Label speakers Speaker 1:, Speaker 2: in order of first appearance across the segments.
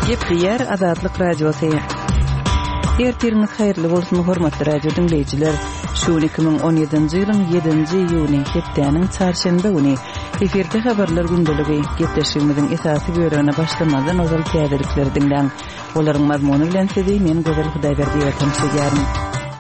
Speaker 1: Gepleýär Azatlyk Radiosy. Ertiriňiz haýyrly bolsun, hormatly radio diňleýjiler. Şu gün 2017-nji ýylyň 7-nji iýuny, hepdäniň çarşenbe güni. Efirde habarlar gündeligi. Gepleşigimiziň esasy bölegine başlamazdan ozal täzelikleri diňläň. Olaryň mazmuny bilen sizi men Gözel Hudaýberdiýewa tanyş edýärin.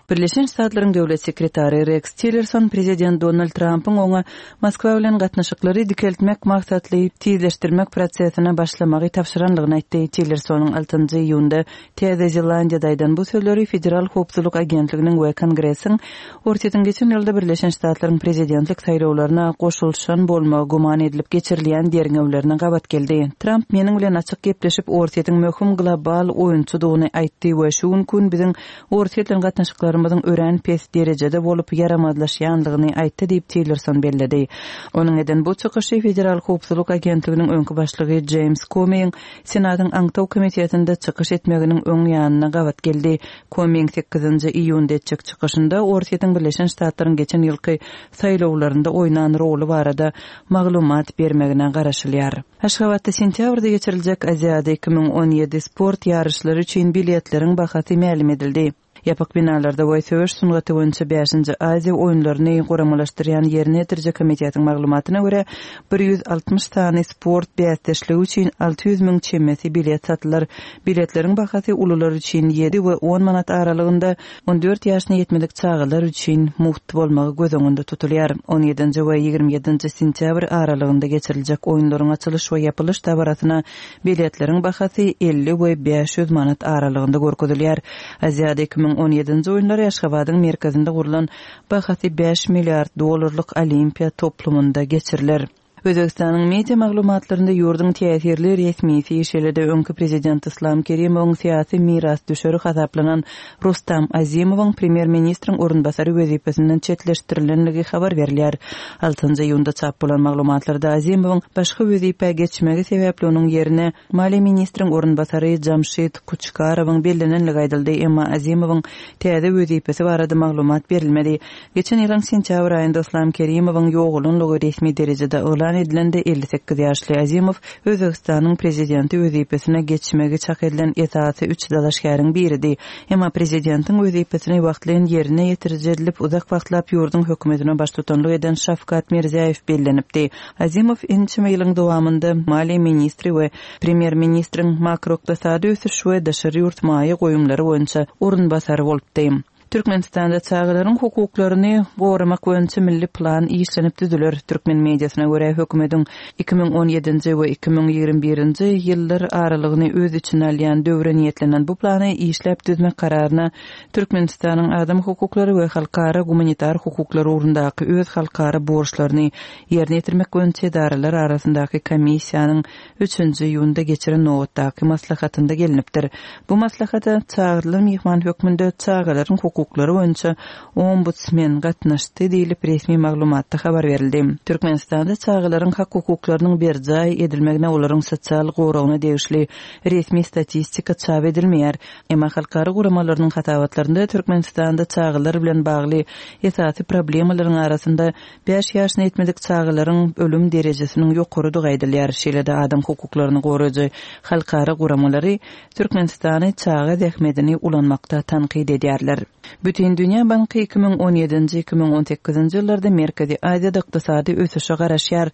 Speaker 1: Birleşen Ştatlaryň Döwlet sekretary Reks Tillerson prezident Donald Trampyň oňa Moskwa bilen gatnaşyklary dikeltmek maksatly tizleşdirmek prosesine başlamagy tabşyrandygyny aýtdy. Tillersonyň altynjy iýunda Täze Zelandiýada aýdan bu sözleri Federal howpsuzlyk agentliginiň we Kongresiň Orsýetiň geçen ýylda Birleşen Ştatlaryň prezidentlik saýlawlaryna goşulyşan bolmagy güman edilip geçirilýän derňewlerine gabat geldi. Tramp meniň bilen açyk gepleşip, Orsýetiň möhüm global oýunçydygyny aýtdy we şu günki gün biziň Orsýet bilen gatnaşyklarymyzyň örän pes derejede bolup, ýaramazlaşýandygyny aýtdy diýip, Tillerson belledi. Onuň eden bu çykyşy Federal howpsuzlyk agentliginiň öňki başlygy Jeýms Komiň Senatyň aňtaw komitetinde çykyş etmeginiň öň ýanyna gabat geldi. Komiň sekizinji iýunda etjek çykyşynda Orsýetiň Birleşen Ştatlaryň geçen ýylky saýlawlarynda oýnan roly barada maglumat bermegine garaşylýar. Aşgabatda sentýabrda geçiriljek Aziada 2017 sport ýaryşlary üçin biletleriň bahasy mälim edildi. Ýapyk binalarda we söweş sungaty boýunça bäşinji Aziýa oýunlaryny guramalaşdyrýan ýerine ýetiriji komitetiň maglumatyna görä, 160 sany sport bäsdeşligi üçin 600 müň çemesi bilet satylar. Biletleriň bahasy ulular üçin ýedi we on manat aralygynda, 14 ýaşyna ýetmedik çagalar üçin mugt bolmagy göz öňünde tutulýar. On ýedinji we 27 nji sentýabr aralygynda geçiriljek oýunlaryň açylyş we ýapylyş dabarasyna biletleriň bahasy 50 we 500 manat aralygynda görkezilýär. Aziada 2017-nji oýunlary Aşgabadyň merkezinde gurlan bahasy bäş milliard dollarlyk Olimpiýa toplumynda geçiriler. Özbegistanyň media maglumatlarynda ýurduň täsirli resmisi, şeýle-de öňki prezident Yslam Kerimowyň syýasy mirasdüşeri hasaplanan Rustam Azimowyň premýer-ministriň orunbasary wezipesinden çetleşdirilendigi habar berilýär. Altynjy iýunda çap bolan maglumatlarda Azimowyň başga wezipä geçmegi sebäpli onuň ýerine maliýe ministriň orunbasary Jamşid Kuçkarowyň bellenendigi aýdyldy, emma Azimowyň täze wezipesi barada maglumat berilmedi. Geçen ýylyň sentýabr aýynda Yslam Kerimowyň ýogalanlygy resmi derejede yglan edilende 58 ýaşly Azimow Özbegistanyň prezidenti wezipesine geçmegi çak edilen esasy üç dalaşgäriň biridi. Emma prezidentiň wezipesini wagtlaýyn ýerine ýetiriji edilip uzak wagtlap ýurduň hökümetine baştutanlyk eden Şawkat Mirziýaýew bellenipdi. Azimow ençeme ýylyň dowamynda maliýe ministri we premýer-ministriň makroykdysady ösüş we daşary ýurt maýa goýumlary boýunça orunbasary bolupdy. Türkmenistanda çagalaryň hukuklaryny goramak boýunça milli plan işlenip düzüler. Türkmen mediasyna görä, hökümetiň 2017-nji we 2021-nji ýyllar aralygyny öz içine alýan döwre niýetlenen bu plany işläp düzmek kararyna Türkmenistanyň adam hukuklary we halkara gumanitar hukuklary ugrundaky öz halkara borçlaryny ýerine ýetirmek boýunça edaralar arasyndaky komissiýanyň üçünji iýunda geçiren nobatdaky maslahatynda gelnipdir. Bu maslahata çagyrylan myhman hökmünde çagalaryň hukuklary boýunça ombudsmen gatnaşdy diýlip, resmi maglumatda habar berildi. Türkmenistanda çagalaryň hak-hukuklarynyň berjaý edilmegine, olaryň sosial goragyna degişli resmi statistika çap edilmeýär. Emma halkara guramalarynyň hasabatlarynda Türkmenistanda çagalar bilen bagly esasy problemalaryň arasynda Bäş ýaşyna ýetmedik çagalaryň ölüm derejesiniň ýokarydygy aýdylýar. Şeýle-de adam hukuklaryny goraýjy halkara guramalary Türkmenistany çaga zähmedini ulanmakda tankyt edýärler. Bütindünýä banky 2017-nji, 2018-nji ýyllarda Merkezi Aziýada ykdysady ösüşe garaşýar.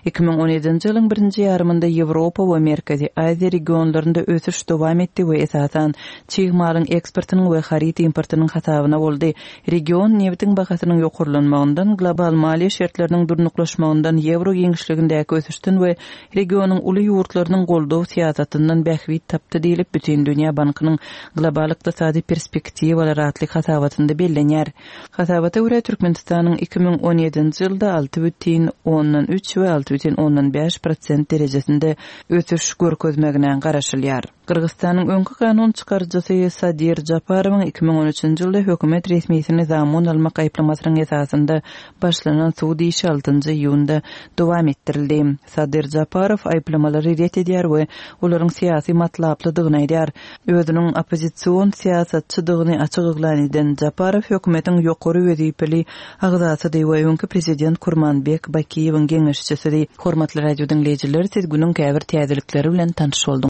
Speaker 1: 2017-nji ýylyň birinji ýarymynda Ýewropa we Merkezi Aziýa regionlarynda ösüş dowam etdi we esasan çig malyň eksportynyň we haryt importynyň hasabyna boldy. Region nebitiň bahasynyň ýokarlanmagyndan, global maliýe şertleriniň durnuklaşmagyndan, ýewro giňişligindäki ösüşden we regionyň uly ýurtlarynyň goldaw syýasatyndan bähbit tapdy diýlip, Bütindünýä bankynyň Global ykdysady perspektiwalar atly hasabatynda bellenýär. Hasabata görä, Türkmenistanyň 2017-nji ýylda 6,3 we 6,5 prosent derejesinde ösüş görkezmegine garaşylýar. Gyrgyzystanyň öňki kanun çykaryjysy Sadyr Japarowyň 2013-nji ýylda hökümet resmisini zamun almak aýyplamasynyň esasynda başlanan sud işi altynjy iýunda dowam etdirildi. Sadyr Japarow aýyplamalary ret edýär we olaryň syýasy matlaplydygyny aýdýar. Özüniň oppozision syýasatçydygyny açyk yglan eden Japarow hökümetiň ýokary wezipeli agzasydy we öňki prezident Kurmanbek Bakiýewiň geňeşçisidi. Hormatly radio diňleýjiler, siz günüň käbir täzelikleri bilen tanyş bolduňyz.